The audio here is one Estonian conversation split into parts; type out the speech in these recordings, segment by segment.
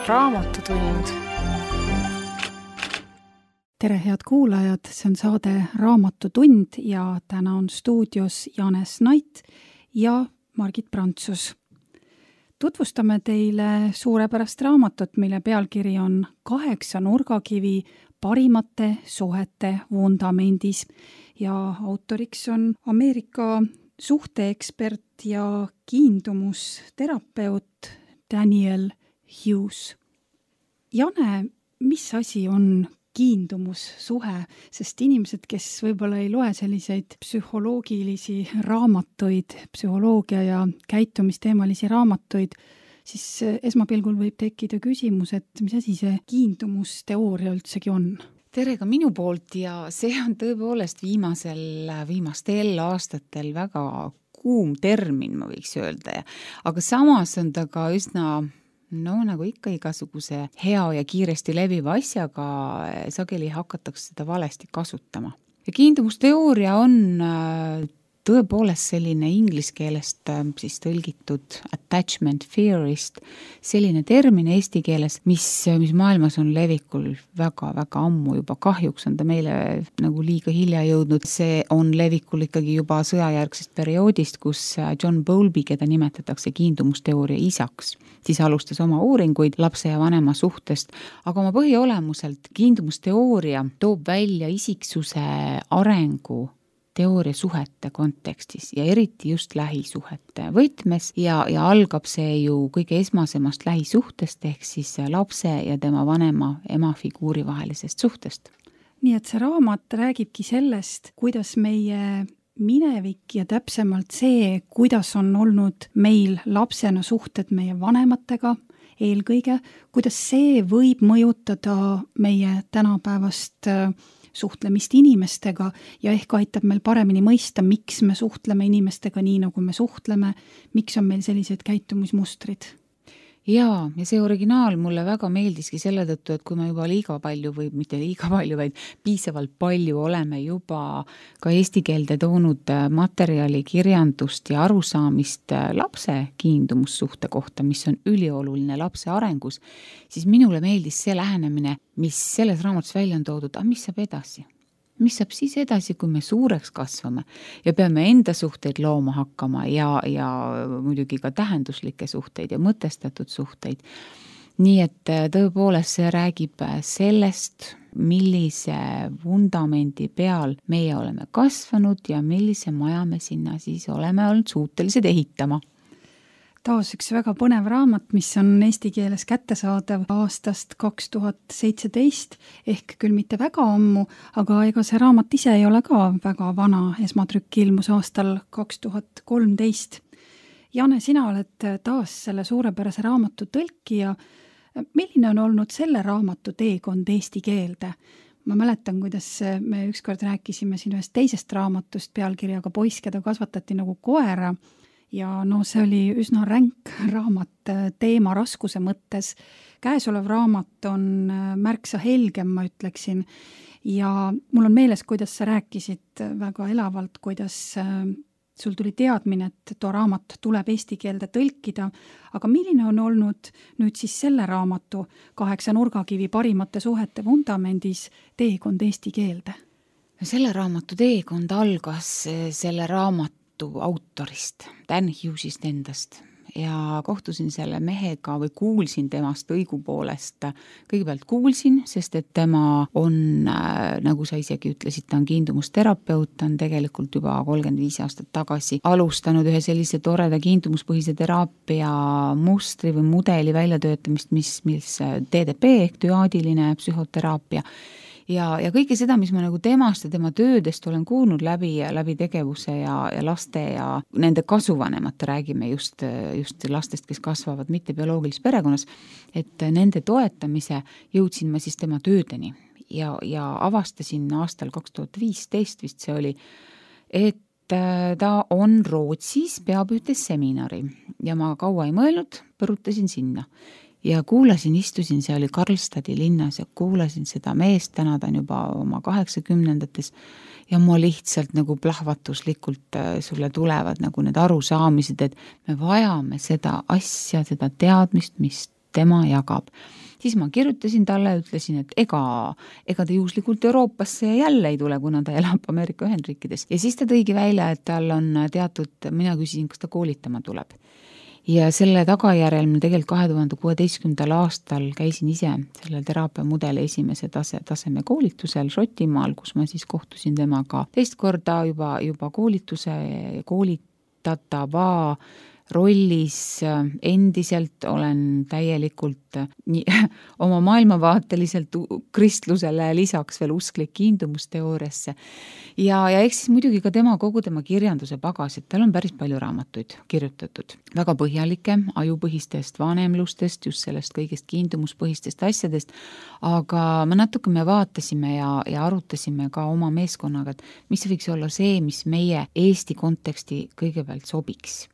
Raamatutund. Tere, head kuulajad, see on saade Raamatutund ja täna on stuudios Janes Nait ja Margit Prantsus. Tutvustame teile suurepärast raamatut, mille pealkiri on 8 nurgakivi parimate suhete vundamendis ja autoriks on Ameerika suhteekspert ja kiindumusterapeut Daniel Hughes. Jane, mis asi on kiindumussuhe, sest inimesed, kes võib-olla ei loe selliseid psühholoogilisi raamatuid, psühholoogia ja käitumisteemalisi raamatuid, siis esmapilgul võib tekkida küsimus, et mis asi see kiindumusteooria üldsegi on? Tere ka minu poolt ja see on tõepoolest viimastel aastatel väga kuum termin, ma võiks öelda. Aga samas on ta ka üsna nagu ikka igasuguse hea ja kiiresti leviva asjaga sageli hakatakse seda valesti kasutama. Ja kiindumusteooria on tõepoolest selline inglise keelest siis tõlgitud attachment theorist, selline termin eesti keeles, mis maailmas on levikul väga-väga ammu juba. Kahjuks on ta meile nagu liiga hilja jõudnud. See on levikul ikkagi juba sõjajärgsest perioodist, kus John Bowlby, keda nimetatakse kiindumusteooria isaks, siis alustas oma uuringuid lapse ja vanema suhtest, aga oma põhiolemuselt kiindumusteooria toob välja isiksuse arengu teooria suhete kontekstis ja eriti just lähisuhete võtmes ja algab see ju kõige esmasemast lähisuhtest ehk siis lapse ja tema vanema ema figuuri vahelisest suhtest. Nii et see raamat räägibki sellest, kuidas meie minevik ja täpsemalt see, kuidas on olnud meil lapsena suhted meie vanematega eelkõige, kuidas see võib mõjutada meie tänapäevast suhtlemist inimestega ja ehk aitab meil paremini mõista, miks me suhtleme inimestega nii, nagu me suhtleme, miks on meil sellised käitumismustrid. Ja see originaal mulle väga meeldiski selle tõttu, et kui me juba vaid piisavalt palju oleme juba ka eesti keelde toonud materjali, kirjandust ja arusaamist lapse kiindumussuhte kohta, mis on ülioluline lapse arengus, siis minule meeldis see lähenemine, mis selles raamatus välja on toodud, mis saab edasi? Mis saab siis edasi, kui me suureks kasvame ja peame enda suhteid looma hakkama ja muidugi ka tähenduslikke suhteid ja mõtestatud suhteid. Nii et tõepoolest see räägib sellest, millise vundamendi peal meie oleme kasvanud ja millise maja me sinna siis oleme olnud suutelised ehitama. Taas üks väga põnev raamat, mis on eesti keeles kättesaadav aastast 2017, ehk küll mitte väga ammu, aga ega see raamat ise ei ole ka väga vana, esmatrükk ilmus aastal 2013. Jane, sina oled taas selle suurepärase raamatu tõlkija. Milline on olnud selle raamatu teekond eesti keelde? Ma mäletan, kuidas me ükskord rääkisime siin ühest teisest raamatust pealkirjaga Poiss, keda kasvatati nagu koera. Ja see oli üsna ränk raamat teema raskuse mõttes. Käesolev raamat on märksa helgem, ma ütleksin. Ja mul on meeles, kuidas sa rääkisid väga elavalt, kuidas sul tuli teadmine, et too raamat tuleb eesti keelde tõlkida. Aga milline on olnud nüüd siis selle raamatu 8 nurgakivi parimate suhete vundamendis teekond eesti keelde? Selle raamatu teekond algas selle raamatu autorist, Dan Hughesist endast ja kohtusin selle mehega või kuulsin temast õigupoolest. Kõigepealt kuulsin, sest et tema on, nagu sa isegi ütlesid, ta on kiindumusterapeut, ta on tegelikult juba 35 aastat tagasi alustanud ühe sellise toreda kiindumuspõhise teraapia mustri või mudeli väljatöötamist, mis DDP ehk düaadiline psühhoteraapia. Ja kõike seda, mis ma nagu temast ja tema töödest olen kuulnud läbi tegevuse ja laste ja nende kasuvanemate, räägime just lastest, kes kasvavad mitte bioloogilises perekonnas, et nende toetamise jõudsin ma siis tema töödeni ja avastasin aastal 2015 vist see oli, et ta on Rootsis, peab ühte seminari ja ma kaua ei mõelnud, põrutasin sinna. Ja istusin, see oli Karlstadi linnas ja kuulasin seda meest, täna ta on juba oma 80-ndates ja ma lihtsalt nagu plahvatuslikult sulle tulevad nagu need arusaamised, et me vajame seda asja, seda teadmist, mis tema jagab. Siis ma kirjutasin talle, ütlesin, et ega ta juhuslikult Euroopasse jälle ei tule, kuna ta elab Ameerika Ühendriikides. Ja siis ta tõigi välja, et tal on teatud, mina küsisin, kas ta koolitama tuleb. Ja selle tagajärjel ma tegelikult 2016. aastal käisin ise selle teraapiamudeli esimese taseme koolitusel Šotimaal, kus ma siis kohtusin temaga teist korda juba koolitatava rollis endiselt olen täielikult oma maailmavaateliselt kristlusele lisaks veel usklik kiindumusteooriasse. Ja eks siis muidugi ka kogu tema kirjanduse pagas, et tal on päris palju raamatuid kirjutatud. Väga põhjalike ajupõhistest vanemlustest, just sellest kõigest kiindumuspõhistest asjadest, aga me vaatasime ja arutasime ka oma meeskonnaga, et mis võiks olla see, mis meie Eesti konteksti kõigepealt sobiks.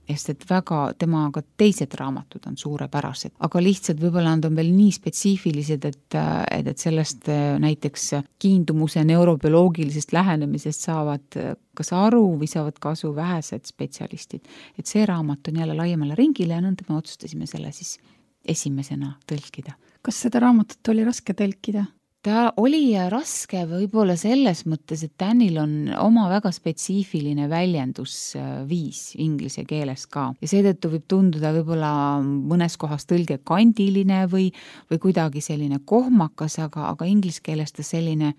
Sest et väga temaga teised raamatud on suurepärased, aga lihtsalt võib-olla nad on veel nii spetsiifilised, et sellest näiteks kiindumuse neurobioloogilisest lähenemisest saavad kas aru või saavad kasu vähesed spetsialistid. Et see raamat on jälle laiemale ringile ja nõnda me otsustasime selle siis esimesena tõlkida. Kas seda raamatut oli raske tõlkida? Ta oli raske võib-olla selles mõttes, et Danil on oma väga spetsiifiline väljendusviis inglise keeles ka. Ja seetõttu võib tunduda võib-olla mõnes kohas tõlge kandiline või kuidagi selline kohmakas, aga inglise keeles ta selline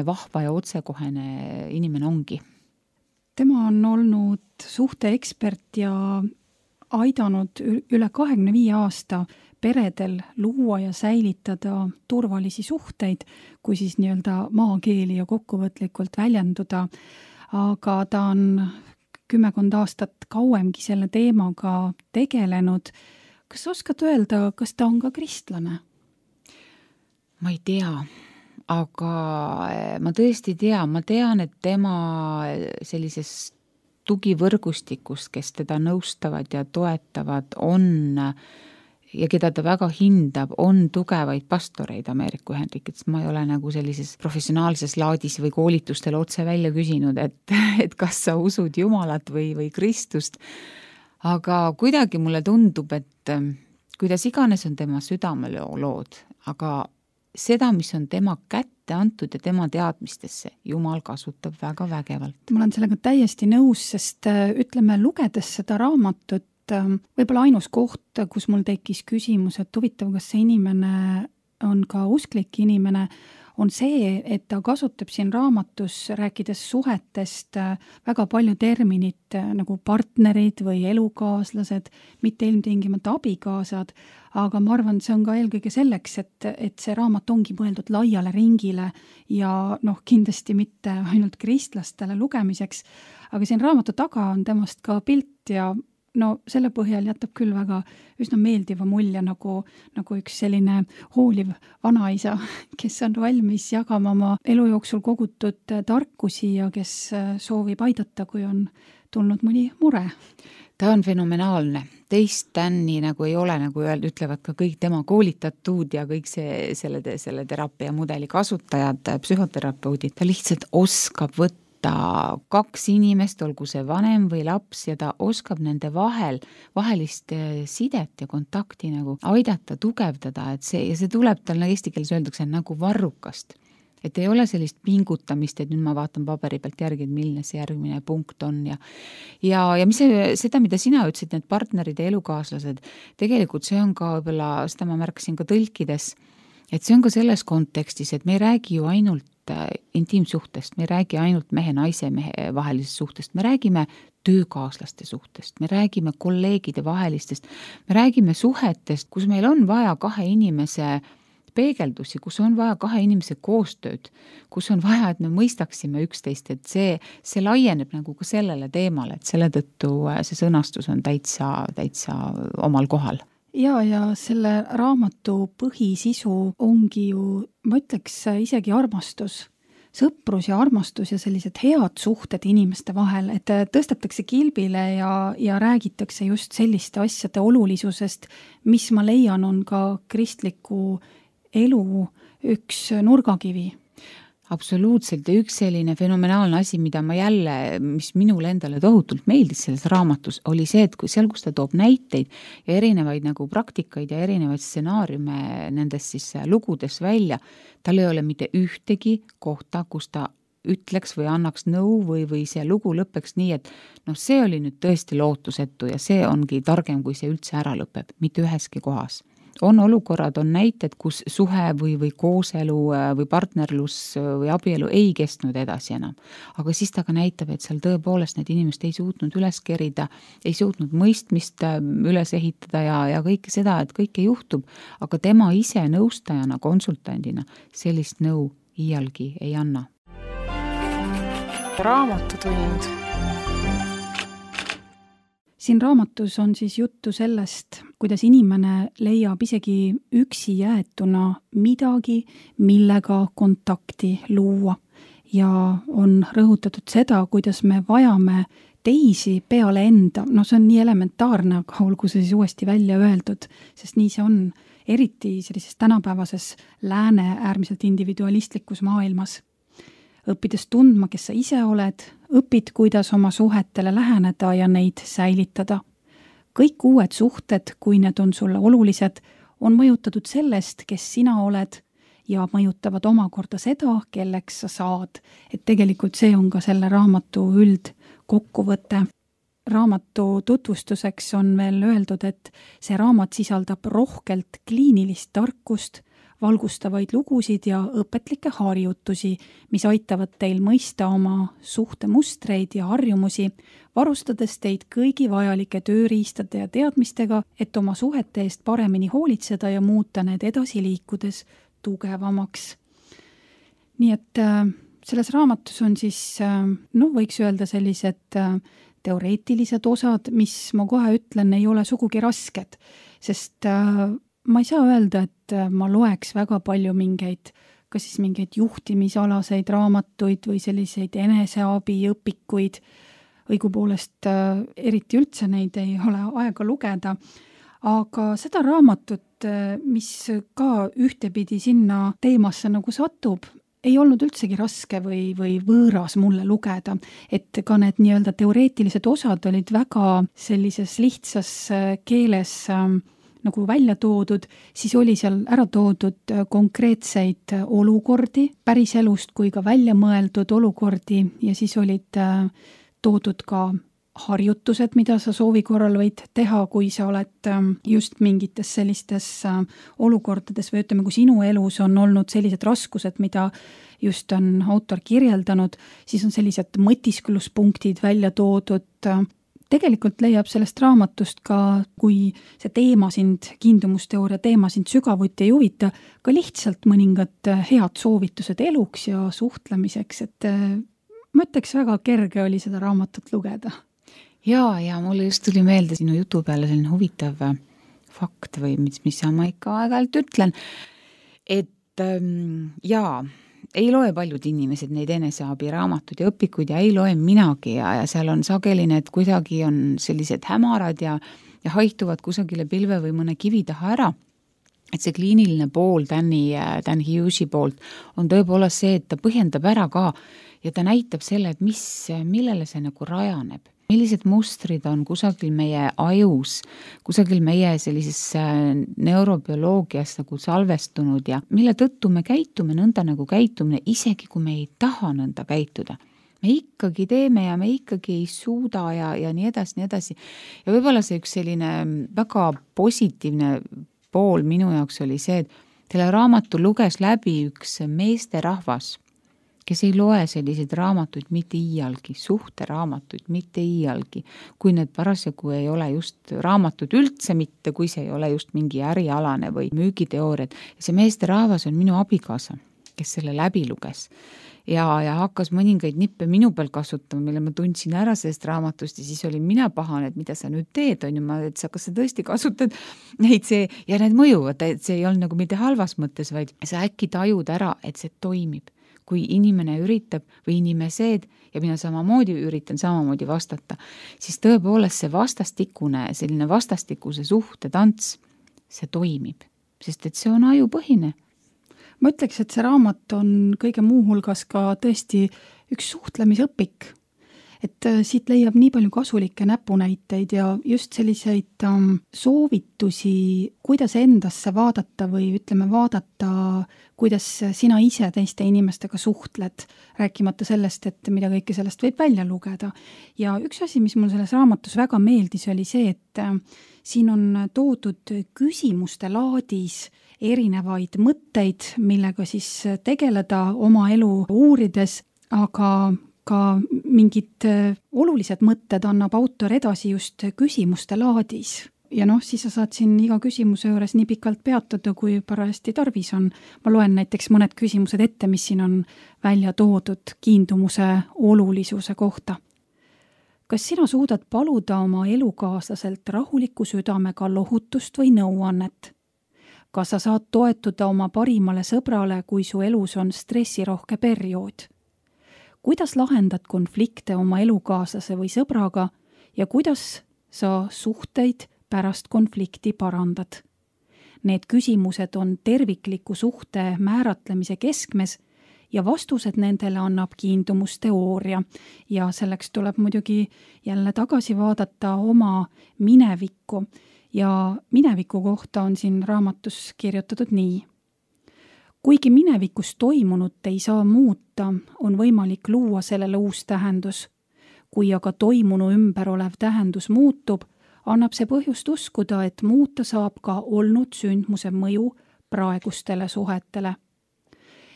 vahva ja otsekohene inimene ongi. Tema on olnud suhteekspert ja aidanud üle 25 aasta peredel luua ja säilitada turvalisi suhteid, kui siis nii-öelda maakeeli ja kokkuvõtlikult väljenduda. Aga ta on 10 aastat kauemgi selle teemaga tegelenud. Kas oskad öelda, kas ta on ka kristlane? Ma ei tea, aga ma tõesti ma tean, et tema sellises tugivõrgustikust, kes teda nõustavad ja toetavad, on ja keda ta väga hindab, on tugevaid pastoreid Ameerika Ühendriikides. Ma ei ole nagu sellises professionaalses laadis või koolitustel otse välja küsinud, et kas sa usud Jumalat või Kristust. Aga kuidagi mulle tundub, et kuidas iganes on tema südamelood, aga seda, mis on tema kätte antud ja tema teadmistesse, Jumal kasutab väga vägevalt. Ma olen sellega täiesti nõus, sest ütleme, lugedes seda raamatut, võib-olla ainus koht, kus mul tekkis küsimus, et huvitav, kas see inimene on ka usklik inimene, on see, et ta kasutab siin raamatus, rääkides suhetest, väga palju terminit nagu partnerid või elukaaslased, mitte ilmtingimata abikaasad, aga ma arvan, see on ka eelkõige selleks, et see raamat ongi mõeldud laiale ringile ja kindlasti mitte ainult kristlastele lugemiseks, aga siin raamatu taga on temast ka pilt ja selle põhjal jätab küll väga üsna meeldiva mulje nagu üks selline hooliv vanaisa, kes on valmis jagama oma elu jooksul kogutud tarkusi ja kes soovib aidata, kui on tulnud mõni mure. Ta on fenomenaalne. Teist Danni nagu ei ole, nagu ütlevad ka kõik tema koolitatud ja kõik selle teraapia mudeli kasutajad, psühhoterapeudid. Ta lihtsalt oskab võtta 2 inimest, olgu see vanem või laps, ja ta oskab nende vahelist sidet ja kontakti nagu aidata, tugevdada, et see tuleb tal, eesti keeles öeldakse, nagu varrukast. Et ei ole sellist pingutamist, et nüüd ma vaatan paberi pealt järgi, et milline see järgmine punkt on ja mis seda, mida sina ütlesid, need partnerid ja elukaaslased, tegelikult see on ka võib-olla, seda ma märkasin ka tõlkides, et see on ka selles kontekstis, et me ei räägi ju ainult intiimsuhtest, me ei räägi ainult mehe-naise vahelisest suhtest, me räägime töökaaslaste suhtest, me räägime kolleegide vahelistest, me räägime suhetest, kus meil on vaja 2 inimese peegeldusi, kus on vaja 2 inimese koostööd, kus on vaja, et me mõistaksime üksteist, et see laieneb nagu ka sellele teemale, et selle tõttu see sõnastus on täitsa omal kohal. Ja selle raamatu põhisisu ongi ju, ma ütleks isegi armastus, sõprus ja armastus ja sellised head suhted inimeste vahel, et tõstetakse kilbile ja räägitakse just selliste asjade olulisusest, mis ma leian on ka kristliku elu üks nurgakivi. Absoluutselt ja üks selline fenomenaalne asi, mis minule endale tohutult meeldis selles raamatus, oli see, et kus ta toob näiteid ja erinevaid nagu praktikaid ja erinevaid stsenaariume nendest siis lugudes välja, tal ei ole mitte ühtegi kohta, kus ta ütleks või annaks nõu või see lugu lõpeks nii, et see oli nüüd tõesti lootusetu ja see ongi targem, kui see üldse ära lõpeb, mitte üheski kohas. On olukorrad, on näited, kus suhe või kooselu või partnerlus või abielu ei kestnud edasi enam. Aga siis ta ka näitab, et seal tõepoolest need inimesed ei suutnud üles kerida, ei suutnud mõistmist üles ehitada ja kõike seda, et kõike juhtub, aga tema ise nõustajana, konsultandina sellist nõu iialgi ei anna. Raamatutund. Siin raamatus on siis juttu sellest, kuidas inimene leiab isegi üksi jäetuna midagi, millega kontakti luua. Ja on rõhutatud seda, kuidas me vajame teisi peale enda. See on nii elementaarne, aga olgu see siis uuesti välja öeldud, sest nii see on eriti sellises tänapäevases lääne äärmiselt individualistlikus maailmas. Õppides tundma, kes sa ise oled, õpid, kuidas oma suhetele läheneda ja neid säilitada. Kõik uued suhted, kui need on sulle olulised, on mõjutatud sellest, kes sina oled ja mõjutavad omakorda seda, kelleks sa saad. Et tegelikult see on ka selle raamatu üldkokkuvõte. Raamatu tutvustuseks on veel öeldud, et see raamat sisaldab rohkelt kliinilist tarkust, valgustavaid lugusid ja õpetlikke harjutusi, mis aitavad teil mõista oma suhtemustreid ja harjumusi, varustades teid kõigi vajalike tööriistade ja teadmistega, et oma suhete eest paremini hoolitseda ja muuta need edasi liikudes tugevamaks. Nii et selles raamatus on siis, võiks öelda sellised teoreetilised osad, mis ma kohe ütlen, ei ole sugugi rasked, sest ma ei saa öelda, et ma loeks väga palju mingeid juhtimisalaseid raamatuid või selliseid eneseabiõpikuid. Õigupoolest eriti üldse neid ei ole aega lugeda. Aga seda raamatut, mis ka ühtepidi sinna teemasse nagu satub, ei olnud üldsegi raske või võõras mulle lugeda, et ka need nii-öelda teoreetilised osad olid väga sellises lihtsas keeles nagu välja toodud, siis oli seal ära toodud konkreetseid olukordi, päris elust kui ka välja mõeldud olukordi ja siis olid toodud ka harjutused, mida sa soovi korral võid teha, kui sa oled just mingites sellistes olukordades või ütleme, kui sinu elus on olnud sellised raskused, mida just on autor kirjeldanud, siis on sellised mõtiskluspunktid välja toodud. Tegelikult leiab sellest raamatust ka, kui see teema kiindumusteooria teema sind sügavuti ei huvita, ka lihtsalt mõningad head soovitused eluks ja suhtlemiseks, et ma ütleks, väga kerge oli seda raamatut lugeda. Ja mulle just tuli meelde sinu jutu peale selline huvitav fakt või mis ma ikka aeg-ajalt ütlen, et ei loe paljud inimesed neid eneseabiraamatud ja õpikuid ja ei loe minagi ja seal on sageli need kuidagi on sellised hämarad ja haihtuvad kusagile pilve või mõne kivi taha ära. Et see kliiniline pool Dan Hughesi poolt on tõepoolest see, et ta põhjendab ära ka ja ta näitab selle, et millele see nagu rajaneb. Millised mustrid on kusagil meie ajus, kusagil meie sellises neurobioloogias nagu salvestunud ja mille tõttu me käitume nõnda nagu käitumine, isegi kui me ei taha nõnda käituda. Me ikkagi teeme ja me ikkagi ei suuda ja nii edasi. Ja võib-olla see üks selline väga positiivne pool minu jaoks oli see, et selle raamatu luges läbi üks meesterahvas, kes ei loe selliseid raamatuid mitte iialgi, suhteraamatuid mitte iialgi, kui need parasjagu ei ole just raamatud üldse mitte, kui see ei ole just mingi ärialane või müügiteooriad. Ja see meesterahvas on minu abikaasa, kes selle läbi luges ja hakkas mõningaid nippe minu peal kasutama, mille ma tundsin ära sellest raamatust ja siis olin mina pahane, et mida sa nüüd teed, on ju, et kas sa tõesti kasutad neid ja need mõjuvad, et see ei olnud nagu mitte halvas mõttes, vaid sa äkki tajud ära, et see toimib. Kui inimene üritab või inimesed ja mina samamoodi üritan samamoodi vastata, siis tõepoolest see selline vastastikuse suhte tants, see toimib, sest et see on ajupõhine. Ma ütleks, et see raamat on kõige muu hulgas ka tõesti üks suhtlemisõpik. Et siit leiab nii palju kasulikke näpunäiteid ja just selliseid soovitusi, kuidas endasse vaadata või ütleme vaadata, kuidas sina ise teiste inimestega suhtled, rääkimata sellest, et mida kõike sellest võib välja lugeda. Ja üks asi, mis mul selles raamatus väga meeldis, oli see, et siin on toodud küsimuste laadis erinevaid mõtteid, millega siis tegeleda oma elu uurides, aga ka mingid olulised mõtted annab autor edasi just küsimuste laadis. Ja siis sa saad siin iga küsimuse juures nii pikalt peatuda, kui parajasti tarvis on. Ma loen näiteks mõned küsimused ette, mis siin on välja toodud kiindumuse olulisuse kohta. Kas sina suudad paluda oma elukaaslaselt rahuliku südamega lohutust või nõuannet? Kas sa saad toetuda oma parimale sõbrale, kui su elus on stressirohke periood? Kuidas lahendad konflikte oma elukaaslase või sõbraga ja kuidas sa suhteid pärast konflikti parandad? Need küsimused on tervikliku suhte määratlemise keskmes ja vastused nendele annab kiindumusteooria ja selleks tuleb muidugi jälle tagasi vaadata oma minevikku ja mineviku kohta on siin raamatus kirjutatud nii. Kuigi minevikus toimunut ei saa muuta, on võimalik luua sellele uus tähendus. Kui aga toimunu ümber olev tähendus muutub, annab see põhjust uskuda, et muuta saab ka olnud sündmuse mõju praegustele suhetele.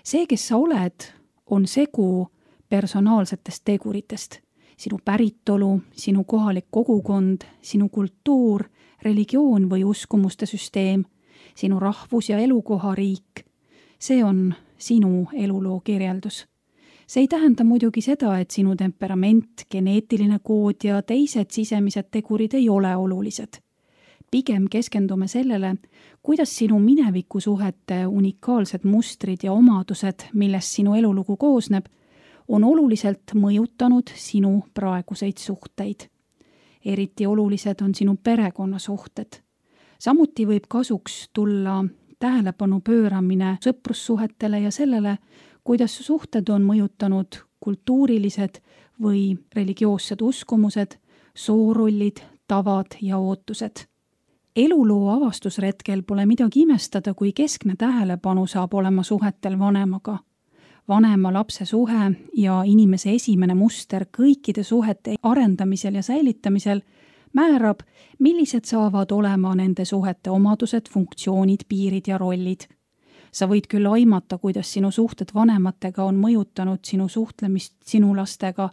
See, kes sa oled, on segu personaalsetest teguritest. Sinu päritolu, sinu kohalik kogukond, sinu kultuur, religioon või uskumuste süsteem, sinu rahvus ja elukohariik. See on sinu eluloo kirjeldus. See ei tähenda muidugi seda, et sinu temperament, geneetiline kood ja teised sisemised tegurid ei ole olulised. Pigem keskendume sellele, kuidas sinu minevikusuhete unikaalsed mustrid ja omadused, millest sinu elulugu koosneb, on oluliselt mõjutanud sinu praeguseid suhteid. Eriti olulised on sinu perekonnasuhted. Samuti võib kasuks tulla tähelepanu pööramine sõprussuhetele ja sellele, kuidas suhted on mõjutanud kultuurilised või religioossed uskumused, soorollid, tavad ja ootused. Eluloo avastusretkel pole midagi imestada, kui keskne tähelepanu saab olema suhetel vanemaga. Vanema-lapse suhe ja inimese esimene muster kõikide suhete arendamisel ja säilitamisel määrab, millised saavad olema nende suhete omadused, funktsioonid, piirid ja rollid. Sa võid küll aimata, kuidas sinu suhted vanematega on mõjutanud sinu suhtlemist sinu lastega,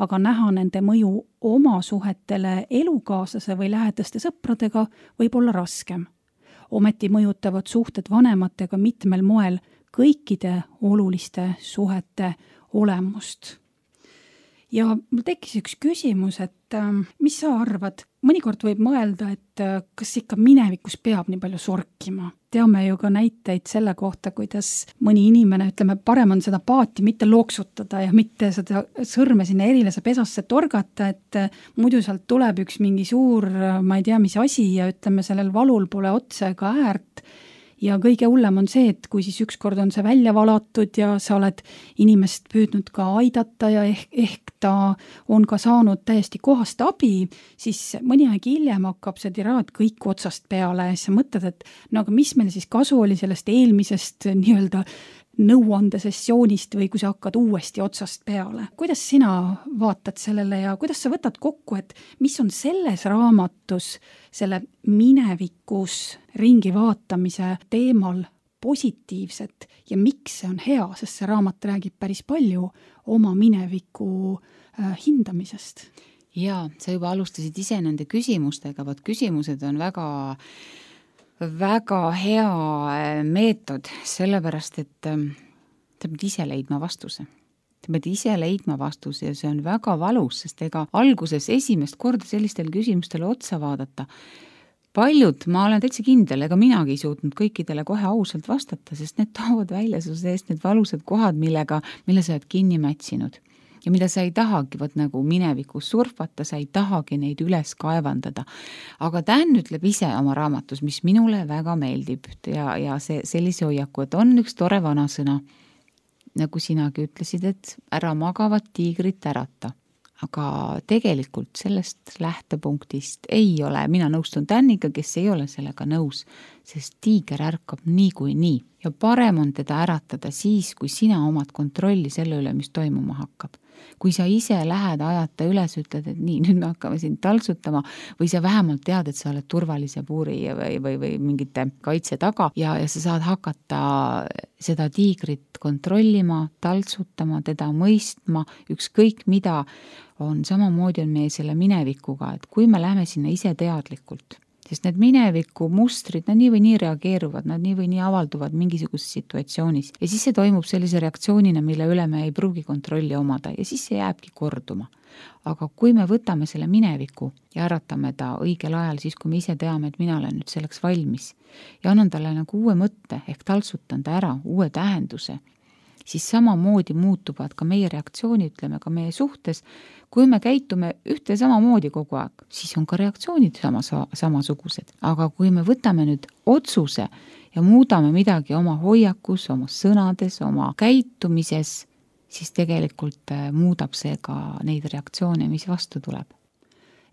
aga näha nende mõju oma suhetele elukaaslase või lähedaste sõpradega võib olla raskem. Ometi mõjutavad suhted vanematega mitmel moel kõikide oluliste suhete olemust. Ja mul tekkis üks küsimus, et mis sa arvad? Mõnikord võib mõelda, et kas ikka minevikus peab nii palju sorkima. Teame ju ka näiteid selle kohta, kuidas mõni inimene, ütleme, parem on seda paati mitte looksutada ja mitte seda sõrme sinna erilase pesasse torgata, et muidu sealt tuleb üks mingi suur, ma ei tea, mis asi ja ütleme, sellel valul pole otsa ega äärt. Ja kõige hullem on see, et kui siis ükskord on see välja valatud ja sa oled inimest püüdnud ka aidata ja ehk ta on ka saanud täiesti kohast abi, siis mõni aeg hiljem hakkab see tiraad kõik otsast peale ja sa mõtled, et no aga mis meil siis kasu oli sellest eelmisest nii-öelda nõuandesessioonist või kui sa hakkad uuesti otsast peale. Kuidas sina vaatad sellele ja kuidas sa võtad kokku, et mis on selles raamatus selle minevikus ringi vaatamise teemal positiivset ja miks see on hea, sest see raamat räägib päris palju oma mineviku hindamisest? Jaa, sa juba alustasid ise nende küsimustega, vaat küsimused on väga hea meetod, sellepärast, et sa pead ise leidma vastuse. Sa pead ise leidma vastuse ja see on väga valus, sest ega alguses esimest korda sellistele küsimustele otsa vaadata. Paljud, ma olen täitsa kindel, ega minagi ei suutnud kõikidele kohe ausalt vastata, sest need toovad välja su seest need valusad kohad, mille sa oled kinni mätsinud. ja mida sa ei tahagi võt nagu minevikus surfata, sa ei tahagi neid üles kaevandada. Aga Dan ütleb ise oma raamatus, mis minule väga meeldib ja see sellise hoiaku, et on üks tore vanasõna, nagu sinagi ütlesid, et ära magavat tiigrit ärata. Aga tegelikult sellest lähtepunktist ei ole, mina nõustun Daniga, kes ei ole sellega nõus, sest tiiger ärkab nii. Ja parem on teda äratada siis, kui sina omad kontrolli selle üle, mis toimuma hakkab. Kui sa ise lähed ajata üles, ütled, et nii, nüüd me hakkame sind taltsutama või sa vähemalt tead, et sa oled turvalise puuri või mingite kaitse taga ja sa saad hakata seda tiigrit kontrollima, taltsutama, teda mõistma, ükskõik mida, on samamoodi on meie selle minevikuga, et kui me läheme sinna ise teadlikult, sest need mineviku mustrid, nad nii või nii reageeruvad, nad nii või nii avalduvad mingisuguses situatsioonis ja siis see toimub sellise reaktsioonina, mille üle me ei pruugi kontrolli omada ja siis see jääbki korduma. Aga kui me võtame selle mineviku ja äratame ta õigel ajal, siis kui me ise teame, et mina olen nüüd selleks valmis ja annan talle nagu uue mõtte ehk taltsutan ta ära, uue tähenduse, siis samamoodi muutuvad ka meie reaktsioonid, ütleme ka meie suhtes. Kui me käitume ühte samamoodi kogu aeg, siis on ka reaktsioonid samasugused. Aga kui me võtame nüüd otsuse ja muudame midagi oma hoiakus, oma sõnades, oma käitumises, siis tegelikult muudab see ka neid reaktsioone, mis vastu tuleb.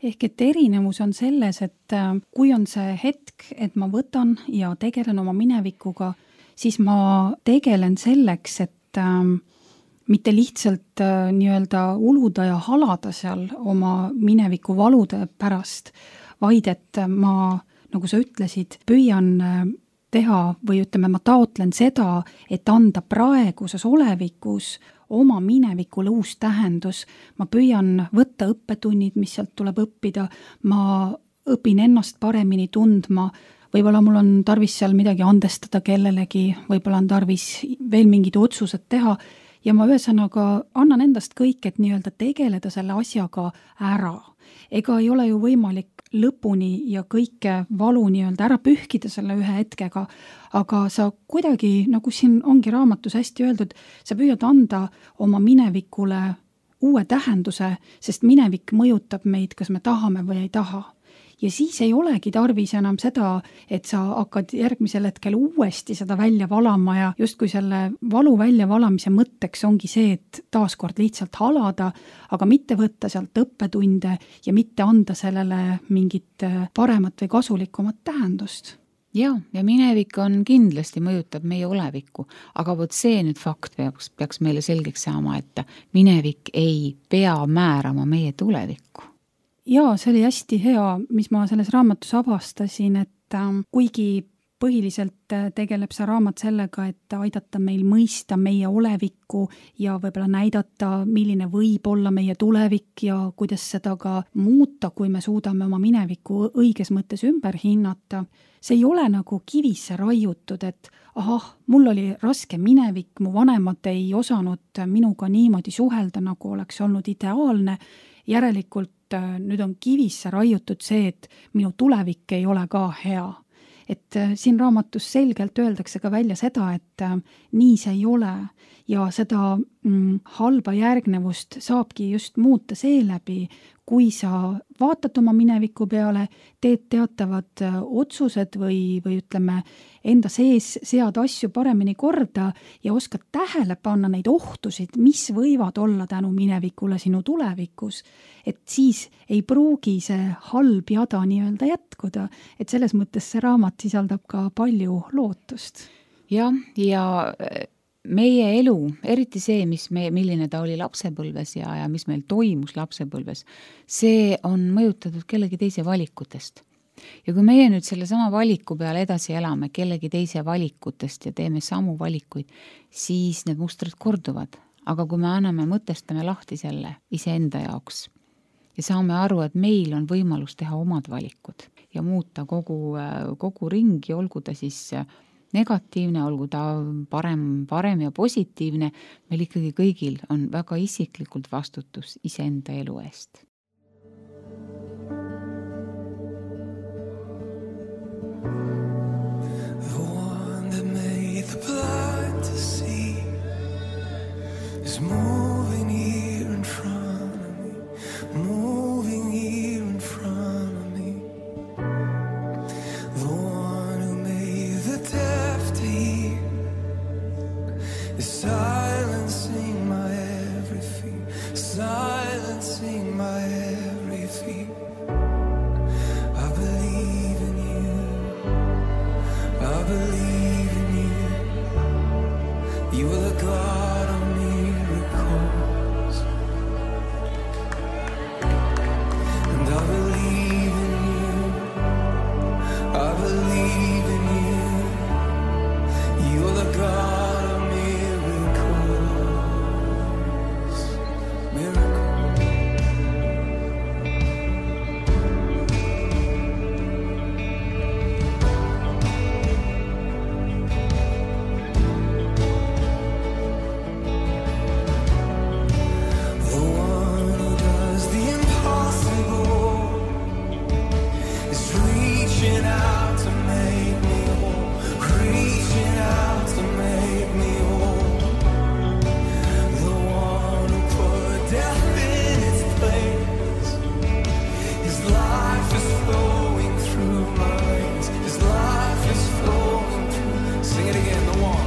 Ehk et erinevus on selles, et kui on see hetk, et ma võtan ja tegelen oma minevikuga, siis ma tegelen selleks, et mitte lihtsalt nii-öelda uluda ja halada seal oma mineviku valude pärast, vaid et ma, nagu sa ütlesid, püüan teha või ütleme, ma taotlen seda, et anda praeguses olevikus oma minevikule uus tähendus. Ma püüan võtta õppetunnid, mis sealt tuleb õppida, ma õpin ennast paremini tundma, võib-olla mul on tarvis seal midagi andestada kellelegi, võib-olla on tarvis veel mingid otsused teha ja ma ühesõnaga annan endast kõik, et nii-öelda tegeleda selle asjaga ära. Ega ei ole ju võimalik lõpuni ja kõike valu nii-öelda ära pühkida selle ühe hetkega, aga sa kuidagi, nagu siin ongi raamatus hästi öeldud, sa püüad anda oma minevikule uue tähenduse, sest minevik mõjutab meid, kas me tahame või ei taha. Ja siis ei olegi tarvis enam seda, et sa hakkad järgmisel hetkel uuesti seda välja valama ja justkui selle valu välja valamise mõtteks ongi see, et taaskord lihtsalt halada, aga mitte võtta sealt õppetunde ja mitte anda sellele mingit paremat või kasulikumat tähendust. Ja minevik on kindlasti mõjutab meie olevikku, aga vot see nüüd fakt peaks meile selgeks saama, et minevik ei pea määrama meie tulevikku. Jaa, see oli hästi hea, mis ma selles raamatus avastasin, et kuigi põhiliselt tegeleb see raamat sellega, et aidata meil mõista meie olevikku ja võib-olla näidata, milline võib olla meie tulevik ja kuidas seda ka muuta, kui me suudame oma minevikku õiges mõttes ümber hinnata. See ei ole nagu kivisse raiutud, et mul oli raske minevik, mu vanemad ei osanud minuga niimoodi suhelda, nagu oleks olnud ideaalne, järelikult nüüd on kivisse raiutud see, et minu tulevik ei ole ka hea. Et siin raamatus selgelt öeldakse ka välja seda, et nii see ei ole ja seda halba järgnevust saabki just muuta seeläbi, kui sa vaatad oma mineviku peale, teed teatavad otsused või ütleme, enda sees sead asju paremini korda ja oskad tähele panna neid ohtusid, mis võivad olla tänu minevikule sinu tulevikus. Et siis ei pruugi see halb jada nii-öelda jätkuda, et selles mõttes see raamat sisaldab ka palju lootust. Ja meie elu, eriti see, milline ta oli lapsepõlves ja mis meil toimus lapsepõlves, see on mõjutatud kellegi teise valikutest. Ja kui meie nüüd selle sama valiku peale edasi elame kellegi teise valikutest ja teeme samu valikuid, siis need mustrid korduvad. Aga kui me mõtestame lahti selle iseenda jaoks ja saame aru, et meil on võimalus teha omad valikud ja muuta kogu ringi, olgu ta siis negatiivne, olgu ta parem ja positiivne, meil ikkagi kõigil on väga isiklikult vastutus iseenda elu eest. The one that made the blind to see is moving here in silencing my every fear, silencing my every fear. I believe in you, I believe in you. You are the God of miracles, and I believe in you, I believe in you. You are the God of miracles, miracles. The one who does the impossible is reaching out to make me whole, reaching out to make me whole. The one who put death in its place. His life is flowing through my veins. His life is flowing through. Sing it again. The one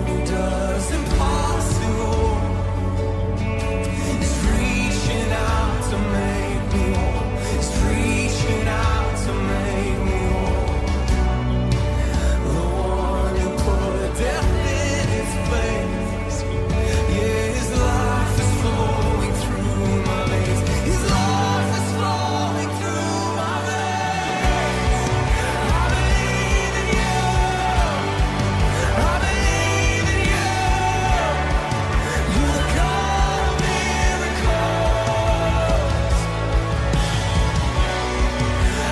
who does impossible is reaching out to make me whole. Is reaching out to make me whole. The one who put death in its place. Yeah, his life is flowing through my veins. His life is flowing through my veins. I believe in you. I believe in you. You're the God of miracles.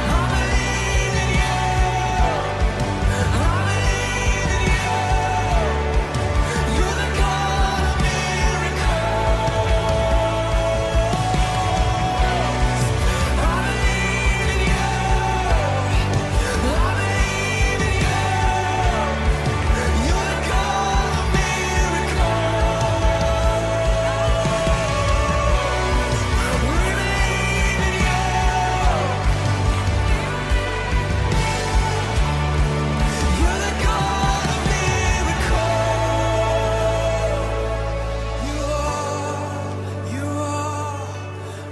I believe in you. I believe in you. You're the God of miracles. I believe in you. I believe in you. You're the God of miracles. We believe in you. You're the God of miracles. You are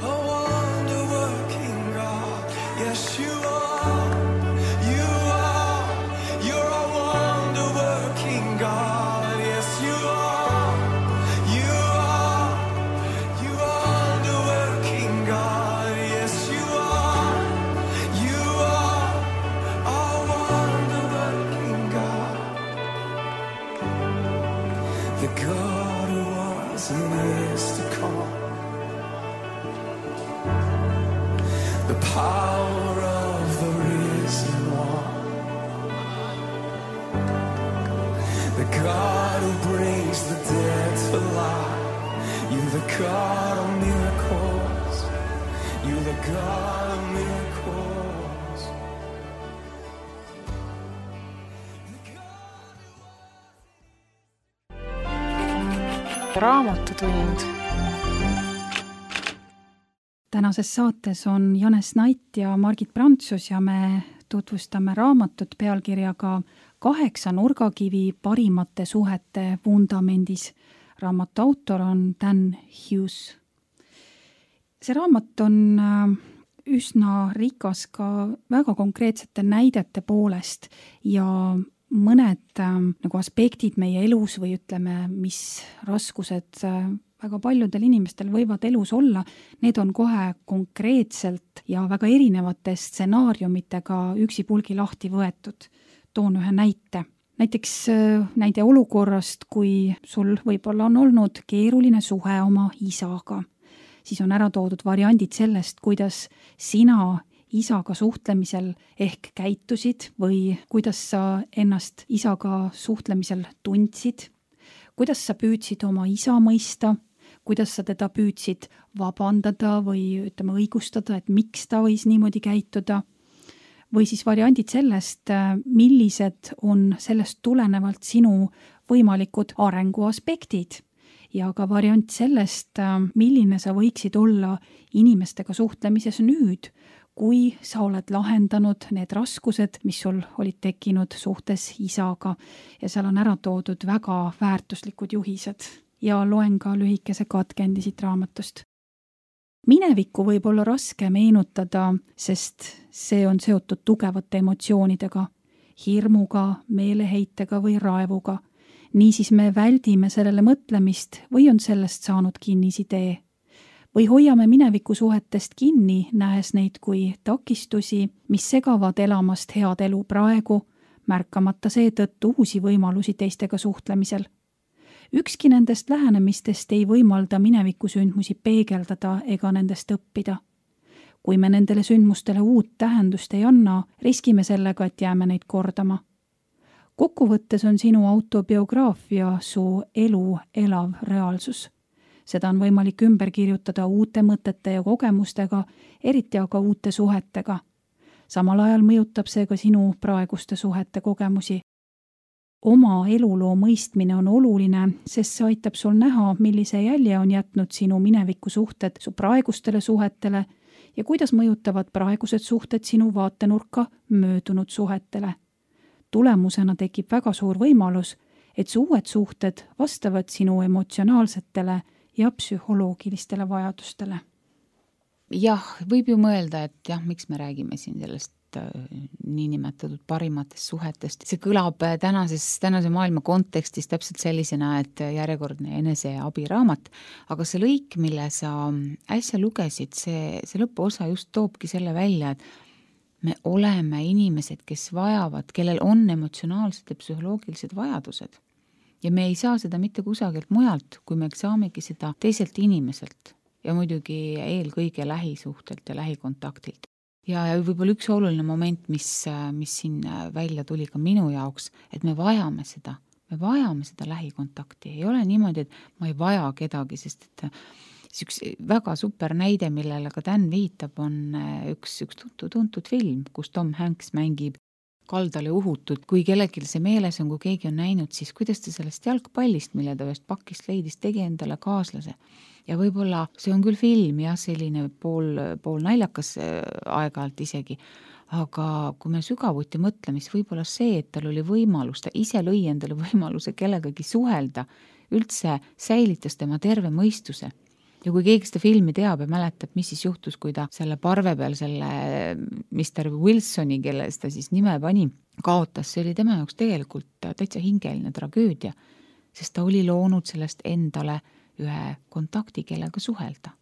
a wonder-working God. Yes, you are. You are. You're a wonder-working God. Yes, you are. You are. You are wonder-working God. Yes, you are. You are a wonder-working God. The God who was and is to come. The power of the risen one. The God who brings the dead to life. You're the God of miracles. You're the God of miracles. raamatutund. Tänases saates on Janes Nait ja Margit Prantsus ja me tutvustame raamatut pealkirjaga 8 nurgakivi parimate suhete vundamendis. Raamatu autor on Dan Hughes. See raamat on üsna rikas ka väga konkreetsete näidete poolest ja mõned nagu aspektid meie elus või ütleme, mis raskused väga paljudel inimestel võivad elus olla, need on kohe konkreetselt ja väga erinevate stsenaariumitega üksipulgi lahti võetud. Toon ühe näite. Näiteks näide olukorrast, kui sul võib-olla on olnud keeruline suhe oma isaga. Siis on ära toodud variandid sellest, kuidas sina isaga suhtlemisel ehk käitusid või kuidas sa ennast isaga suhtlemisel tundsid, kuidas sa püüdsid oma isa mõista, kuidas sa teda püüdsid vabandada või ütleme õigustada, et miks ta võis niimoodi käituda, või siis variandid sellest, millised on sellest tulenevalt sinu võimalikud arenguaspektid ja ka variant sellest, milline sa võiksid olla inimestega suhtlemises nüüd, kui sa oled lahendanud need raskused, mis sul olid tekkinud suhtes isaga ja seal on ära toodud väga väärtuslikud juhised ja loen ka lühikese katkendi siit raamatust. Minevikku võib olla raske meenutada, sest see on seotud tugevate emotsioonidega, hirmuga, meeleheitega või raevuga. Niisiis me väldime sellele mõtlemist või on sellest saanud kinnisidee. Või hoiame mineviku suhetest kinni, nähes neid kui takistusi, mis segavad elamast head elu praegu, märkamata seetõttu uusi võimalusi teistega suhtlemisel. Ükski nendest lähenemistest ei võimalda mineviku sündmusi peegeldada ega nendest õppida. Kui me nendele sündmustele uut tähendust ei anna, riskime sellega, et jääme neid kordama. Kokkuvõttes on sinu autobiograafia su elu elav reaalsus. Seda on võimalik ümber kirjutada uute mõtete ja kogemustega, eriti aga uute suhetega. Samal ajal mõjutab see ka sinu praeguste suhete kogemusi. Oma eluloo mõistmine on oluline, sest see aitab sul näha, millise jälje on jätnud sinu mineviku suhted su praegustele suhetele ja kuidas mõjutavad praegused suhted sinu vaatenurka möödunud suhetele. Tulemusena tekib väga suur võimalus, et su uued suhted vastavad sinu emotsionaalsetele ja psühholoogilistele vajadustele. Jah, võib ju mõelda, et jah, miks me räägime siin sellest niinimetatud parimatest suhetest. See kõlab tänase maailma kontekstis täpselt sellisena, et järjekordne eneseabiraamat, aga see lõik, mille sa äsja lugesid, see lõpuosa just toobki selle välja, et me oleme inimesed, kes vajavad, kellel on emotsionaalsed ja psühholoogilised vajadused. Ja me ei saa seda mitte kusagilt mujalt, kui me saamegi seda teiselt inimeselt ja muidugi eelkõige lähisuhtelt ja lähikontaktilt. Ja võib-olla üks oluline moment, mis siin välja tuli ka minu jaoks, et me vajame seda lähikontakti. Ei ole niimoodi, et ma ei vaja kedagi, sest et üks väga super näide, millele ka Dan viitab, on üks tuntud film, kus Tom Hanks mängib kaldale uhutud. Kui kellelgi see meeles on, kui keegi on näinud, siis kuidas ta sellest jalgpallist, mille ta ühest pakist leidis, tegi endale kaaslase. Ja võib-olla see on küll film ja selline pool naljakas aeg-ajalt isegi, aga kui me sügavuti mõtleme, siis võib-olla see, et tal oli võimalus, ta ise lõi endale võimaluse kellegagi suhelda, üldse säilitas tema terve mõistuse. Ja kui keegi seda filmi teab ja mäletab, mis siis juhtus, kui ta selle parve peal selle Mr. Wilsoni, kelles ta siis nime pani, kaotas, see oli tema jaoks tegelikult täitsa hingeline tragöödia, sest ta oli loonud sellest endale ühe kontakti, kellega suhelda.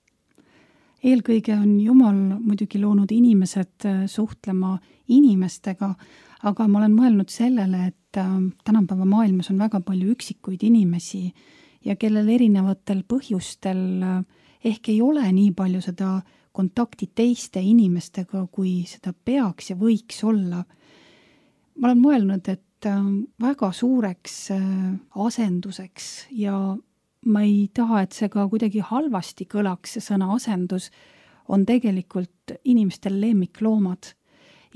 Eelkõige on Jumal muidugi loonud inimesed suhtlema inimestega, aga ma olen mõelnud sellele, et tänapäeva maailmas on väga palju üksikuid inimesi ja kellel erinevatel põhjustel ehk ei ole nii palju seda kontakti teiste inimestega, kui seda peaks ja võiks olla. Ma olen mõelnud, et väga suureks asenduseks ja ma ei taha, et see ka kuidagi halvasti kõlaks, see sõna asendus, on tegelikult inimestel lemmikloomad.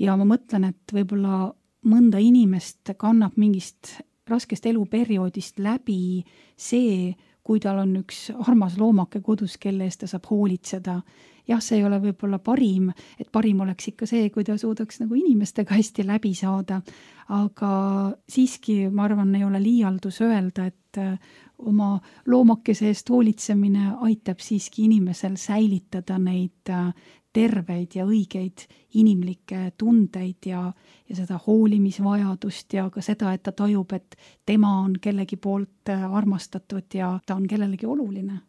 Ja ma mõtlen, et võib-olla mõnda inimest kannab mingist raskest eluperioodist läbi see, kui tal on üks armas loomake kodus, kelle eest ta saab hoolitseda. Jah, see ei ole võib-olla parim, et parim oleks ikka see, kui ta suudaks nagu inimestega hästi läbi saada, aga siiski, ma arvan, ei ole liialdus öelda, et oma loomakese eest hoolitsemine aitab siiski inimesel säilitada neid terveid ja õigeid inimlikke tundeid ja seda hoolimisvajadust ja ka seda, et ta tajub, et tema on kellegi poolt armastatud ja ta on kellelegi oluline.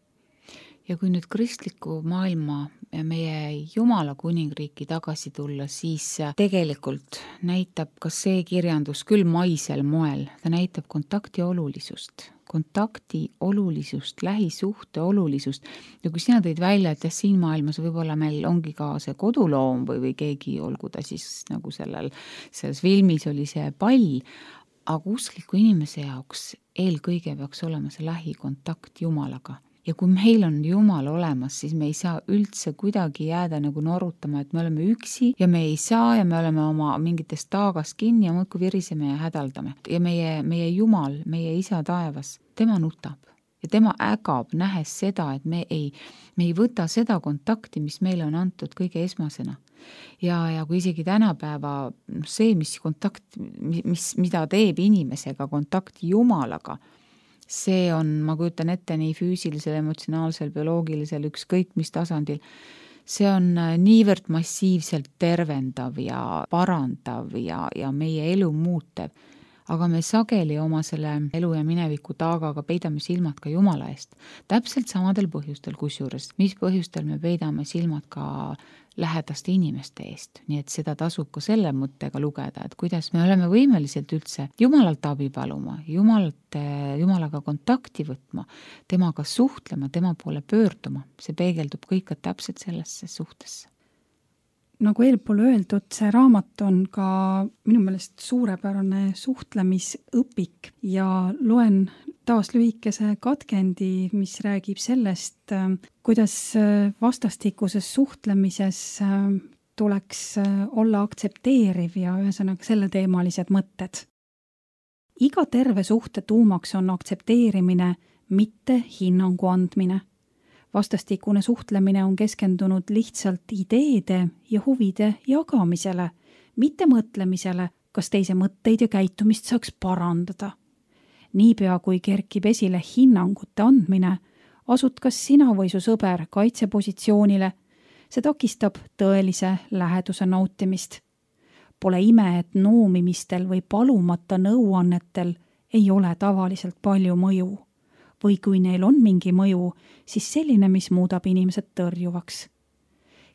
Ja kui nüüd kristliku maailma ja meie Jumala kuningriiki tagasi tulla, siis tegelikult näitab ka see kirjandus küll maisel moel, ta näitab kontakti olulisust, lähisuhte olulisust. Ja kui sina tõid välja, et siin maailmas võib-olla meil ongi ka see koduloom või keegi, olgu ta siis nagu selles filmis oli see pall, aga uskliku inimese jaoks eelkõige peaks olema see lähikontakt Jumalaga. Ja kui meil on Jumal olemas, siis me ei saa üldse kuidagi jääda nagu norutama, et me oleme üksi ja me ei saa ja me oleme oma mingitest taagast kinni ja muudkui viriseme ja hädaldame. Ja meie Jumal, meie isa taevas, tema nutab ja tema ägab nähes seda, et me ei võta seda kontakti, mis meile on antud kõige esmasena. ja kui isegi tänapäeva see, mida teeb inimesega kontakt Jumalaga, see on, ma kujutan ette, nii füüsilisel, emotsionaalsel, bioloogilisel, ükskõik mis tasandil, see on niivõrd massiivselt tervendav ja parandav ja meie elu muutev. Aga me sageli oma selle elu ja mineviku taagaga peidame silmad ka Jumala eest. Täpselt samadel põhjustel, kusjuures, mis põhjustel me peidame silmad ka lähedaste inimeste eest. Nii et seda tasub ka selle mõttega lugeda, et kuidas me oleme võimeliselt üldse Jumalalt abi paluma, Jumalaga kontakti võtma, temaga suhtlema, tema poole pöörduma. See peegeldub kõik täpselt sellesse suhtesse. Nagu eelpool öeldud, see raamat on ka minu meelest suurepärane suhtlemisõpik ja loen taas lühikese katkendi, mis räägib sellest, kuidas vastastikuses suhtlemises tuleks olla aktsepteeriv ja ühesõnaga selleteemalised mõtted. Iga terve suhte tuumaks on aktsepteerimine, mitte hinnangu andmine. Vastastikune suhtlemine on keskendunud lihtsalt ideede ja huvide jagamisele, mitte mõtlemisele, kas teise mõtteid ja käitumist saaks parandada. Niipea kui kerkib esile hinnangute andmine, asud kas sina või su sõber kaitsepositsioonile, see takistab tõelise läheduse nautimist. Pole ime, et noomimistel või palumata nõuannetel ei ole tavaliselt palju mõju. Või kui neil on mingi mõju, siis selline, mis muudab inimesed tõrjuvaks.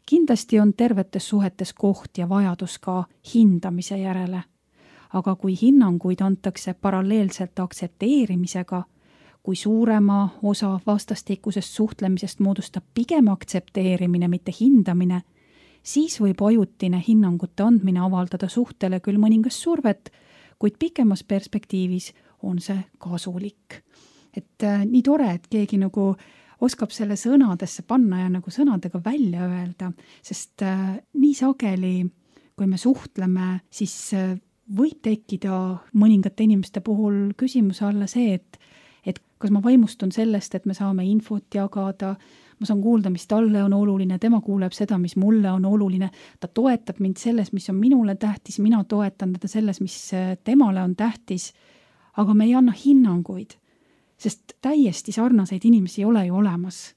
Kindlasti on tervetes suhetes koht ja vajadus ka hindamise järele. Aga kui hinnanguid antakse paralleelselt aktsepteerimisega, kui suurema osa vastastikusest suhtlemisest moodustab pigem aktsepteerimine, mitte hindamine, siis võib ajutine hinnangute andmine avaldada suhtele küll mõningast survet, kuid pikemas perspektiivis on see kasulik. Et nii tore, et keegi nagu oskab selle sõnadesse panna ja nagu sõnadega välja öelda, sest nii sageli, kui me suhtleme, siis võib tekkida mõningate inimeste puhul küsimuse alla see, et kas ma vaimustun sellest, et me saame infot jagada, ma saan kuulda, mis talle on oluline, tema kuuleb seda, mis mulle on oluline, ta toetab mind selles, mis on minule tähtis, mina toetan teda selles, mis temale on tähtis, aga me ei anna hinnanguid. Sest täiesti sarnaseid inimesi ei ole ju olemas.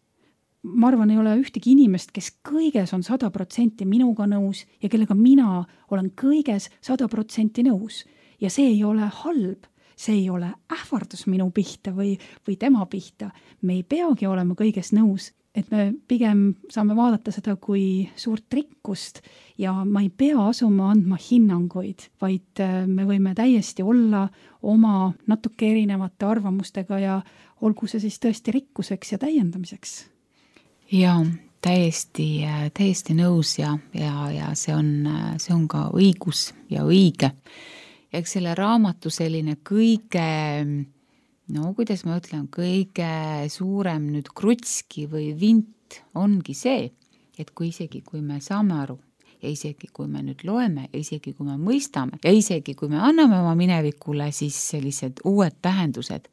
Ma arvan, ei ole ühtegi inimest, kes kõiges on 100% minuga nõus ja kellega mina olen kõiges 100% nõus. Ja see ei ole halb, see ei ole ähvardus minu pihta või tema pihta. Me ei peagi olema kõiges nõus, et me pigem saame vaadata seda kui suurt rikkust ja ma ei pea asuma andma hinnanguid, vaid me võime täiesti olla oma natuke erinevate arvamustega ja olgu see siis tõesti rikkuseks ja täiendamiseks. Ja täiesti nõus ja see on ka õigus ja õige. Ja eks selle raamatu selline kõige, kuidas ma ütlen, kõige suurem nüüd krutski või vint ongi see, et kui me saame aru ja isegi kui me nüüd loeme ja isegi kui me mõistame ja isegi kui me anname oma minevikule siis sellised uued tähendused,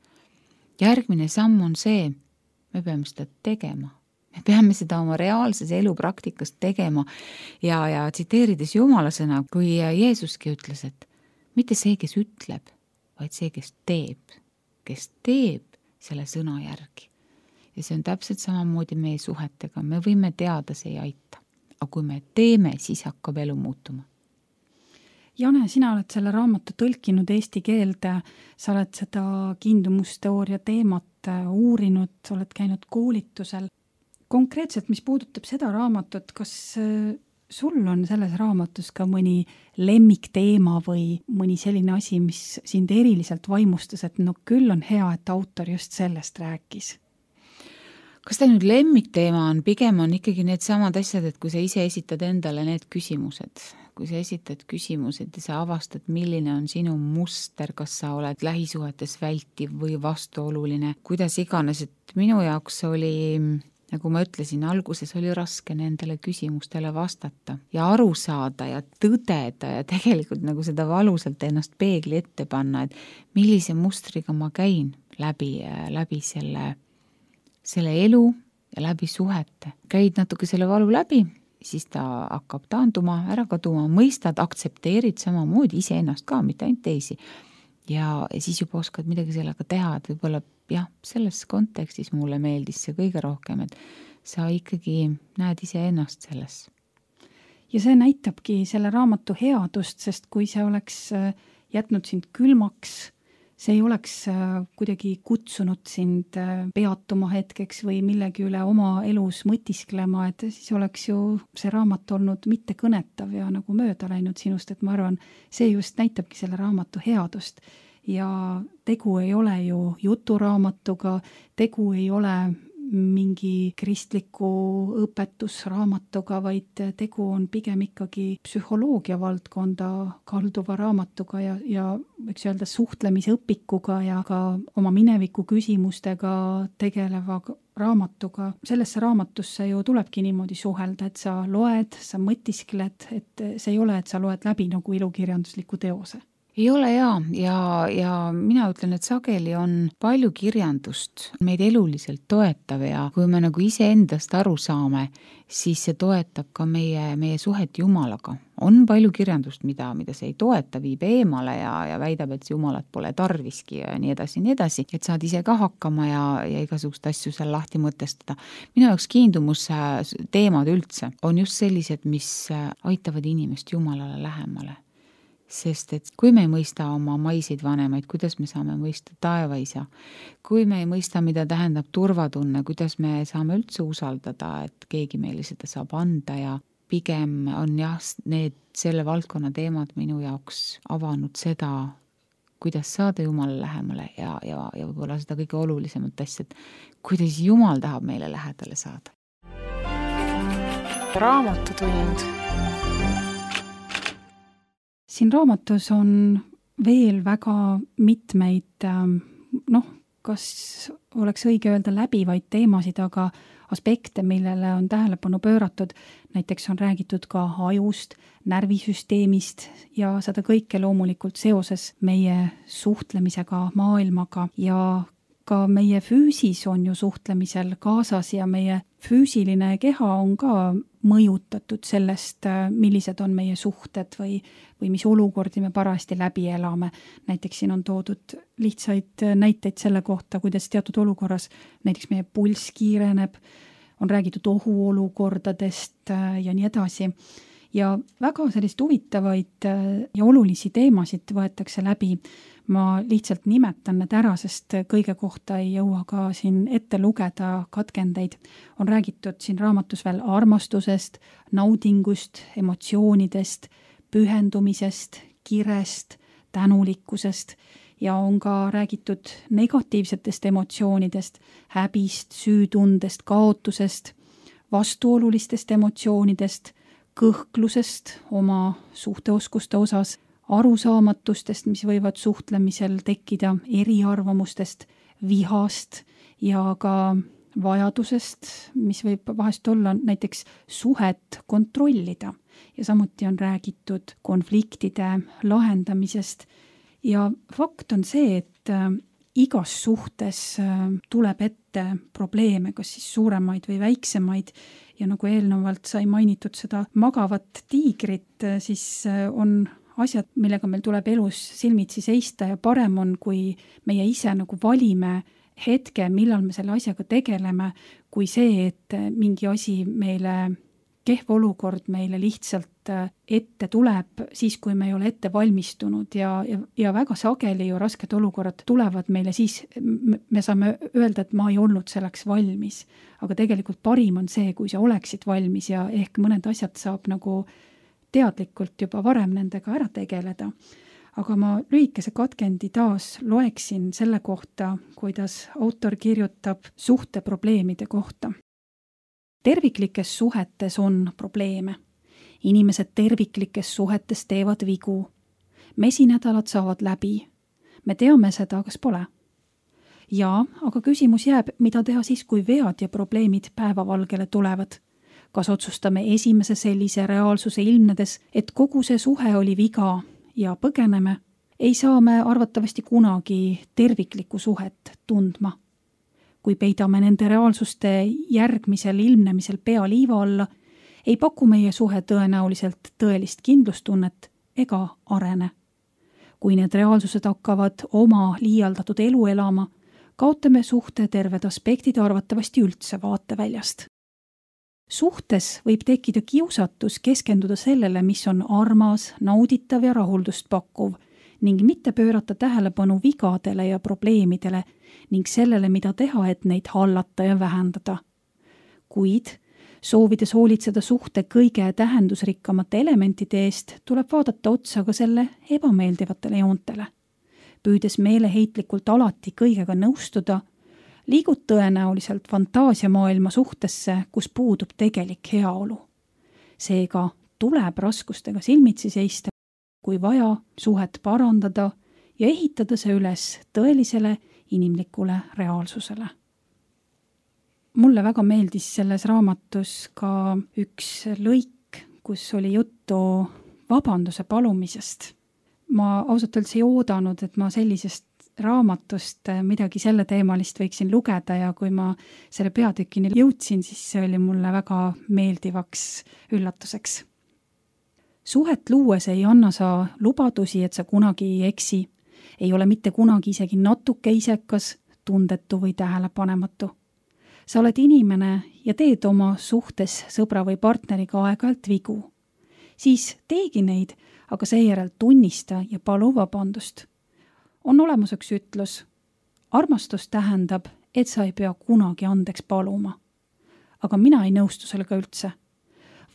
järgmine samm on see, me peame seda tegema. Me peame seda oma reaalses elupraktikas tegema ja tsiteerides Jumala sõna, kui Jeesuski ütles, et mitte see, kes ütleb, vaid see, kes teeb selle sõna järgi. Ja see on täpselt samamoodi meie suhetega. Me võime teada, see ei aita. Aga kui me teeme, siis hakkab elu muutuma. Jane, sina oled selle raamatu tõlkinud eesti keelde, sa oled seda kiindumusteooria teemat uurinud, sa oled käinud koolitusel. Konkreetselt, mis puudutab seda raamatut, kas sul on selles raamatus ka mõni lemmikteema või mõni selline asi, mis sind eriliselt vaimustas, et küll on hea, et autor just sellest rääkis? Kas ta nüüd lemmikteema on? Pigem on ikkagi need samad asjad, et kui sa ise esitad endale need küsimused, kui sa esitad küsimused ja sa avastad, milline on sinu muster, kas sa oled lähisuhetes vältiv või vastuoluline, kuidas iganes, et minu jaoks oli, nagu ma ütlesin, alguses oli raske nendele küsimustele vastata ja aru saada ja tõdeda ja tegelikult nagu seda valusalt ennast peegli ette panna, et millise mustriga ma käin läbi selle elu ja läbi suhete. Käid natuke selle valu läbi siis ta hakkab taanduma, ära kaduma, mõistad, aktsepteerid samamoodi iseennast ka, mitte ainult teisi. Ja siis juba oskad midagi sellega teha, et võib-olla jah, selles kontekstis mulle meeldis see kõige rohkem, et sa ikkagi näed iseennast selles. Ja see näitabki selle raamatu headust, sest kui see oleks jätnud sind külmaks, see ei oleks kuidagi kutsunud sind peatuma hetkeks või millegi üle oma elus mõtisklema, et siis oleks ju see raamat olnud mitte kõnetav ja nagu mööda läinud sinust, et ma arvan, see just näitabki selle raamatu headust. Ja tegu ei ole ju juturaamatuga, tegu ei ole mingi kristliku õpetusraamatuga, vaid tegu on pigem ikkagi psühholoogia valdkonda kalduva raamatuga ja võiks öelda suhtlemisõpikuga ja ka oma mineviku küsimustega tegeleva raamatuga. Sellesse raamatusse ju tulebki niimoodi suhelda, et sa loed, sa mõtiskled, et see ei ole, et sa loed läbi nagu ilukirjandusliku teose. Ei ole ja mina ütlen, et sageli on palju kirjandust meid eluliselt toetav ja kui me nagu iseendast aru saame, siis see toetab ka meie suhet Jumalaga. On palju kirjandust, mida see ei toeta, viib eemale ja väidab, et Jumalat pole tarviski ja nii edasi, et saad ise ka hakkama ja igasugust asju seal lahti mõtestada. Minu jaoks kiindumusteemad üldse on just sellised, mis aitavad inimest Jumalale lähemale. Sest et kui me ei mõista oma maiseid vanemaid, kuidas me saame mõista taevaisa, kui me ei mõista, mida tähendab turvatunne, kuidas me saame üldse usaldada, et keegi meile seda saab anda ja pigem on jah, need selle valdkonna teemad minu jaoks avanud seda, kuidas saada Jumala lähemale ja võib-olla seda kõige olulisemat asja, et kuidas Jumal tahab meile lähedale saada. Raamatutund. Siin raamatus on veel väga mitmeid, kas oleks õige öelda läbivaid teemasid, aga aspekte, millele on tähelepanu pööratud. Näiteks on räägitud ka ajust, närvisüsteemist ja seda kõike loomulikult seoses meie suhtlemisega maailmaga ja ka meie füüsis on ju suhtlemisel kaasas ja meie füüsiline keha on ka mõjutatud sellest, millised on meie suhted või mis olukordi me parajasti läbi elame. Näiteks siin on toodud lihtsaid näiteid selle kohta, kuidas teatud olukorras näiteks meie pulss kiireneb, on räägitud ohuolukordadest ja nii edasi. Ja väga sellist huvitavaid ja olulisi teemasid võetakse läbi. Ma lihtsalt nimetan need ära, sest kõige kohta ei jõua ka siin ette lugeda katkendeid. On räägitud siin raamatus veel armastusest, naudingust, emotsioonidest, pühendumisest, kirest, tänulikkusest ja on ka räägitud negatiivsetest emotsioonidest, häbist, süütundest, kaotusest, vastuolulistest emotsioonidest, kõhklusest oma suhteoskuste osas, arusaamatustest, mis võivad suhtlemisel tekkida, eriarvamustest, vihast ja ka vajadusest, mis võib vahest olla näiteks suhet kontrollida. Ja samuti on räägitud konfliktide lahendamisest. Ja fakt on see, et igas suhtes tuleb ette probleeme, kas siis suuremaid või väiksemaid. Ja nagu eelnevalt sai mainitud seda magavat tiigrit, siis on asjad, millega meil tuleb elus silmitsi seista ja parem on, kui meie ise nagu valime hetke, millal me selle asjaga tegeleme, kui see, et mingi asi meile, kehv olukord meile lihtsalt ette tuleb siis, kui me ei ole ette valmistunud ja väga sageli ju rasked olukorrad tulevad meile siis, me saame öelda, et ma ei olnud selleks valmis. Aga tegelikult parim on see, kui sa oleksid valmis ja ehk mõned asjad saab nagu teadlikult juba varem nendega ära tegeleda. Aga ma lühikese katkendi taas loeksin selle kohta, kuidas autor kirjutab suhteprobleemide kohta. Terviklikes suhetes on probleeme. Inimesed terviklikes suhetes teevad vigu. Mesinädalad saavad läbi. Me teame seda, kas pole. Ja, aga küsimus jääb, mida teha siis, kui vead ja probleemid päevavalgele tulevad. Kas otsustame esimese sellise reaalsuse ilmnedes, et kogu see suhe oli viga ja põgeneme, ei saa me arvatavasti kunagi terviklikku suhet tundma. Kui peidame nende reaalsuste järgmisel ilmnemisel pea liiva alla, ei paku meie suhe tõenäoliselt tõelist kindlustunnet ega arene. Kui need reaalsused hakkavad oma liialdatud elu elama, kaotame suhte terved aspektid arvatavasti üldse vaateväljast. Suhtes võib tekkida kiusatus keskenduda sellele, mis on armas, nauditav ja rahuldust pakkuv ning mitte pöörata tähelepanu vigadele ja probleemidele ning sellele, mida teha, et neid hallata ja vähendada. Kuid soovides hoolitseda suhte kõige tähendusrikkamate elementide eest, tuleb vaadata otsa ka selle ebameeldivatele joontele. Püüdes meeleheitlikult alati kõigega nõustuda, liigud tõenäoliselt fantaasiamaailma suhtesse, kus puudub tegelik heaolu. Seega tuleb raskustega silmitsi seista, kui vaja suhet parandada ja ehitada see üles tõelisele inimlikule reaalsusele. Mulle väga meeldis selles raamatus ka üks lõik, kus oli juttu vabanduse palumisest. Ma ausalt öeldes ei oodanud, et ma sellisest raamatust midagi selle teemalist võiksin lugeda ja kui ma selle peatükini jõudsin, siis see oli mulle väga meeldivaks üllatuseks. Suhet luues ei anna sa lubadusi, et sa kunagi ei eksi, ei ole mitte kunagi isegi natuke isekas, tundetu või tähelepanematu. Sa oled inimene ja teed oma suhtes sõbra või partneriga aeg-ajalt vigu. Siis teegi neid, aga seejärel tunnista ja palu vabandust. On olemas üks ütlus. Armastus tähendab, et sa ei pea kunagi andeks paluma. Aga mina ei nõustu sellega üldse.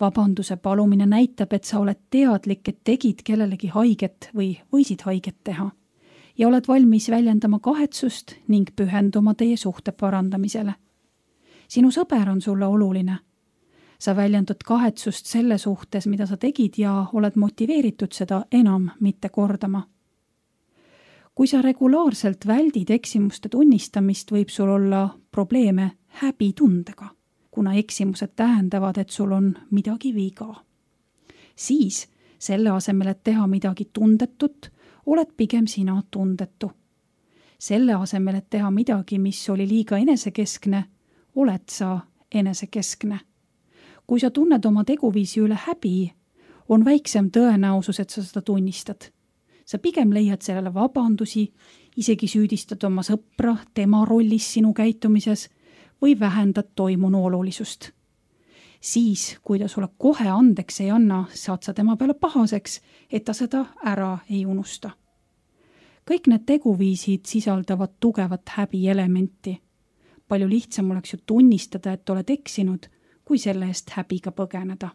Vabanduse palumine näitab, et sa oled teadlik, et tegid kellelegi haiget või võisid haiget teha ja oled valmis väljendama kahetsust ning pühenduma teie suhte parandamisele. Sinu sõber on sulle oluline. Sa väljendud kahetsust selle suhtes, mida sa tegid ja oled motiveeritud seda enam mitte kordama. Kui sa regulaarselt väldid eksimuste tunnistamist, võib sul olla probleeme häbitundega, kuna eksimused tähendavad, et sul on midagi viga. Siis, selle asemel, et teha midagi tundetut, oled pigem sina tundetu. Selle asemel, et teha midagi, mis oli liiga enesekeskne, oled sa enesekeskne. Kui sa tunned oma teguviisi üle häbi, on väiksem tõenäosus, et sa seda tunnistad. Sa pigem leiad sellele vabandusi, isegi süüdistad oma sõpra tema rollis sinu käitumises või vähendad toimunu olulisust. Siis, kui ta sulle kohe andeks ei anna, saad sa tema peale pahaseks, et ta seda ära ei unusta. Kõik need teguviisid sisaldavad tugevat häbielementi. Palju lihtsam oleks ju tunnistada, et oled eksinud, kui selle eest häbiga põgeneda.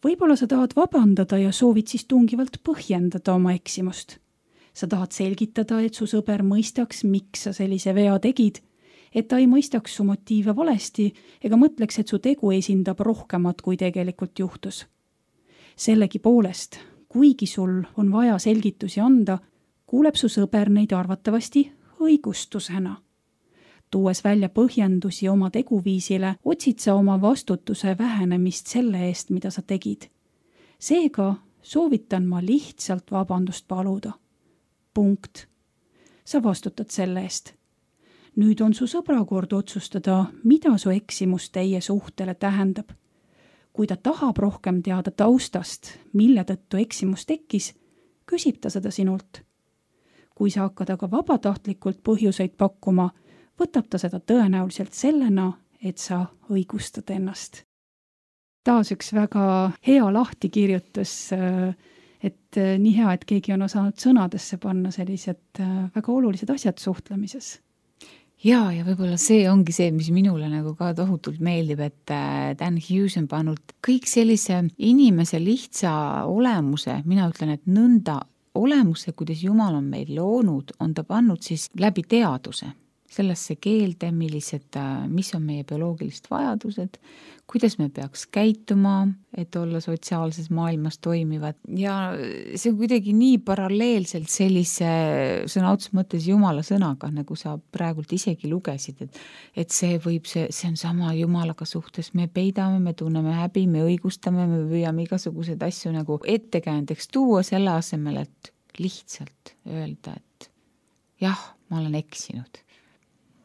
Võib-olla sa tahad vabandada ja soovid siis tungivalt põhjendada oma eksimust. Sa tahad selgitada, et su sõber mõistaks, miks sa sellise vea tegid, et ta ei mõistaks su motiive valesti ega mõtleks, et su tegu esindab rohkemat, kui tegelikult juhtus. Sellegi poolest, kuigi sul on vaja selgitusi anda, kuuleb su sõber neid arvatavasti õigustusena. Tuues välja põhjendusi oma teguviisile, otsid sa oma vastutuse vähenemist selle eest, mida sa tegid. Seega soovitan ma lihtsalt vabandust paluda. Punkt. Sa vastutad selle eest. Nüüd on su sõbra kord otsustada, mida su eksimus teie suhtele tähendab. Kui ta tahab rohkem teada taustast, mille tõttu eksimus tekkis, küsib ta seda sinult. Kui sa hakkad aga vabatahtlikult põhjuseid pakkuma, võtab ta seda tõenäoliselt sellena, et sa õigustad ennast. Taas üks väga hea lahtikirjutus, et nii hea, et keegi on osanud sõnadesse panna sellised väga olulised asjad suhtlemises. Ja võib-olla see ongi see, mis minule nagu ka tohutult meeldib, et Dan Hughes on pannud kõik sellise inimese lihtsa olemuse, mina ütlen, et nõnda olemuse, kuidas Jumal on meil loonud, on ta pannud siis läbi teaduse. Sellesse keelde, mis on meie bioloogilised vajadused, kuidas me peaks käituma, et olla sotsiaalses maailmas toimivad. Ja see on kuidagi nii paralleelselt sellise sõna otseses mõttes Jumala sõnaga, nagu sa praegult isegi lugesid, et see on sama Jumalaga suhtes, me peidame, me tunneme häbi, me õigustame, me püüame igasuguseid asju nagu ettekäändeks tuua selle asemel, et lihtsalt öelda, et jah, ma olen eksinud.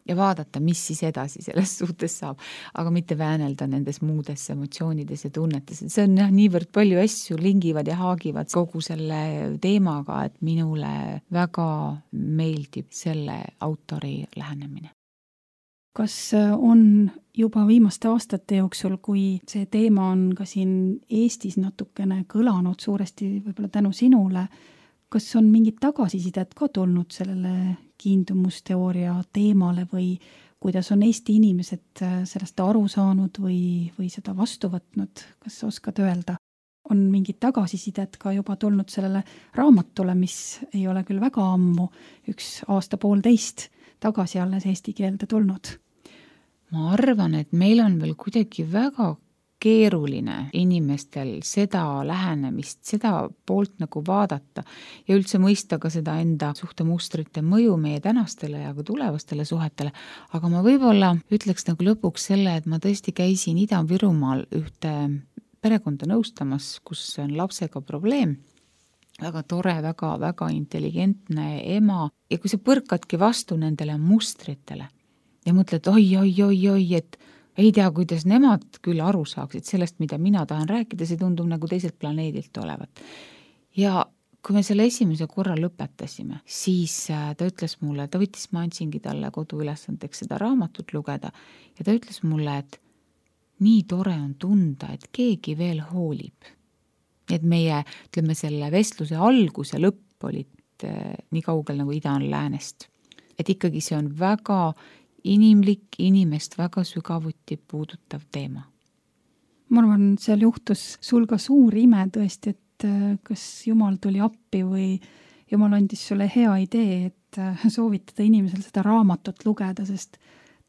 ja vaadata, mis siis edasi selles suhtes saab, aga mitte väänelda nendes muudes emotsioonides ja tunnetes. See on niivõrd palju asju lingivad ja haagivad kogu selle teemaga, et minule väga meeldib selle autori lähenemine. Kas on juba viimaste aastate jooksul, kui see teema on ka siin Eestis natukene kõlanud suuresti võib-olla tänu sinule, kas on mingit tagasisidet ka tulnud sellele kiindumusteooria teemale või kuidas on Eesti inimesed sellest aru saanud või seda vastu võtnud? Kas oskad öelda? On mingit tagasisidet ka juba tulnud sellele raamatule, mis ei ole küll väga ammu, 1 aasta-poolteist tagasi alles eesti keelde tulnud? Ma arvan, et meil on veel kuidagi väga keeruline inimestel seda lähenemist, seda poolt nagu vaadata ja üldse mõista ka seda enda suhtemustrite mõju meie tänastele ja ka tulevastele suhetele. Aga ma võib-olla ütleks nagu lõpuks selle, et ma tõesti käisin Ida-Virumaal ühte perekonda nõustamas, kus on lapsega probleem. Väga tore, väga intelligentne ema ja kui sa põrkadki vastu nendele mustritele ja mõtled, oi, et ei tea, kuidas nemad küll aru saaksid sellest, mida mina tahan rääkida, see tundub nagu teiselt planeedilt olevat. Ja kui me selle esimese korra lõpetasime, siis ta ütles mulle, ta võttis, ma andsingi talle koduülesandeks seda raamatut lugeda ja ta ütles mulle, et nii tore on tunda, et keegi veel hoolib. Et meie, ütleme, selle vestluse algus ja lõpp olid nii kaugel nagu ida on läänest. Et ikkagi see on väga inimlik, inimest väga sügavuti puudutav teema. Ma arvan, seal juhtus sul ka suur ime tõesti, et kas Jumal tuli appi või Jumal andis sulle hea idee, et soovitada inimesel seda raamatut lugeda, sest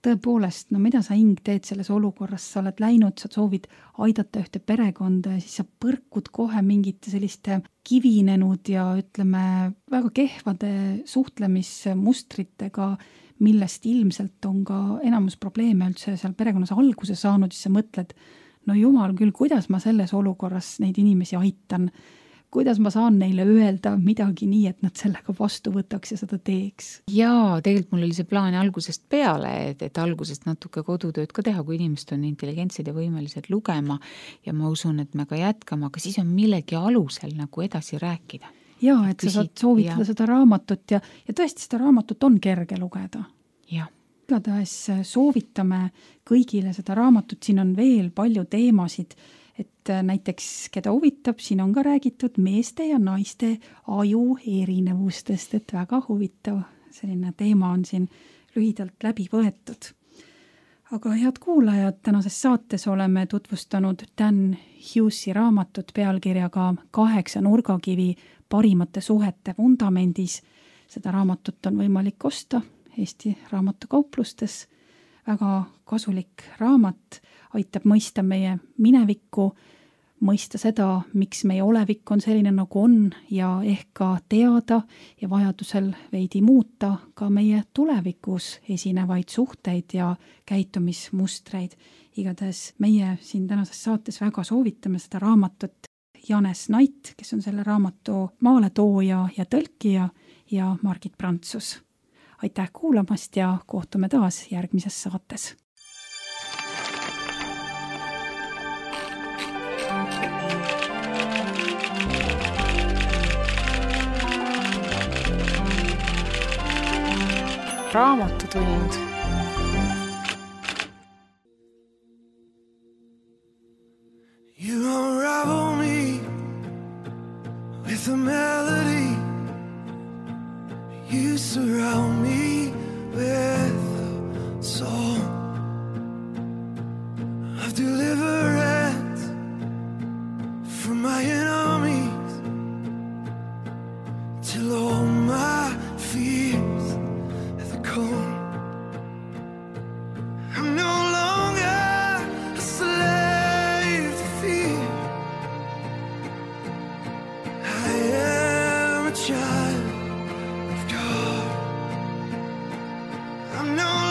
tõepoolest, no mida sa hing teed selles olukorras, sa oled läinud, sa soovid aidata ühte perekonda ja siis sa põrkud kohe mingite selliste kivinenud ja ütleme väga kehvade suhtlemismustritega, millest ilmselt on ka enamus probleeme üldse seal perekonnas alguse saanud, siis sa mõtled, no jumal küll, kuidas ma selles olukorras neid inimesi aitan, kuidas ma saan neile öelda midagi nii, et nad sellega vastu võtaks ja seda teeks. Jaa, tegelikult mul oli see plaan algusest peale, et algusest natuke kodutööd ka teha, kui inimesed on intelligentsed ja võimelised lugema ja ma usun, et me ka jätkame, aga siis on millegi alusel nagu edasi rääkida. Jaa, et sa saad soovitada seda raamatut ja tõesti seda raamatut on kerge lugeda. Jah. Igatahes soovitame kõigile seda raamatut, siin on veel palju teemasid, et näiteks keda huvitab, siin on ka räägitud meeste ja naiste aju erinevustest, et väga huvitav selline teema on siin lühidalt läbi võetud. Aga head kuulajad, tänases saates oleme tutvustanud Dan Hughesi raamatut pealkirjaga 8 nurgakivi parimate suhete vundamendis. Seda raamatut on võimalik osta Eesti raamatukauplustes. Väga kasulik raamat, aitab mõista meie minevikku, mõista seda, miks meie olevik on selline nagu on ja ehk ka teada ja vajadusel veidi muuta ka meie tulevikus esinevaid suhteid ja käitumismustreid. Igatahes meie siin tänases saates väga soovitame seda raamatut. Janes Nait, kes on selle raamatu maaletooja ja tõlkija ja Margit Prantsus. Aitäh kuulamast ja kohtume taas järgmises saates. Raamatutund. You unravel me with a melody. You surround me with a song of deliverance from my enemies till all my fears have gone. I'm no longer a slave to fear. I am a child of God. I'm no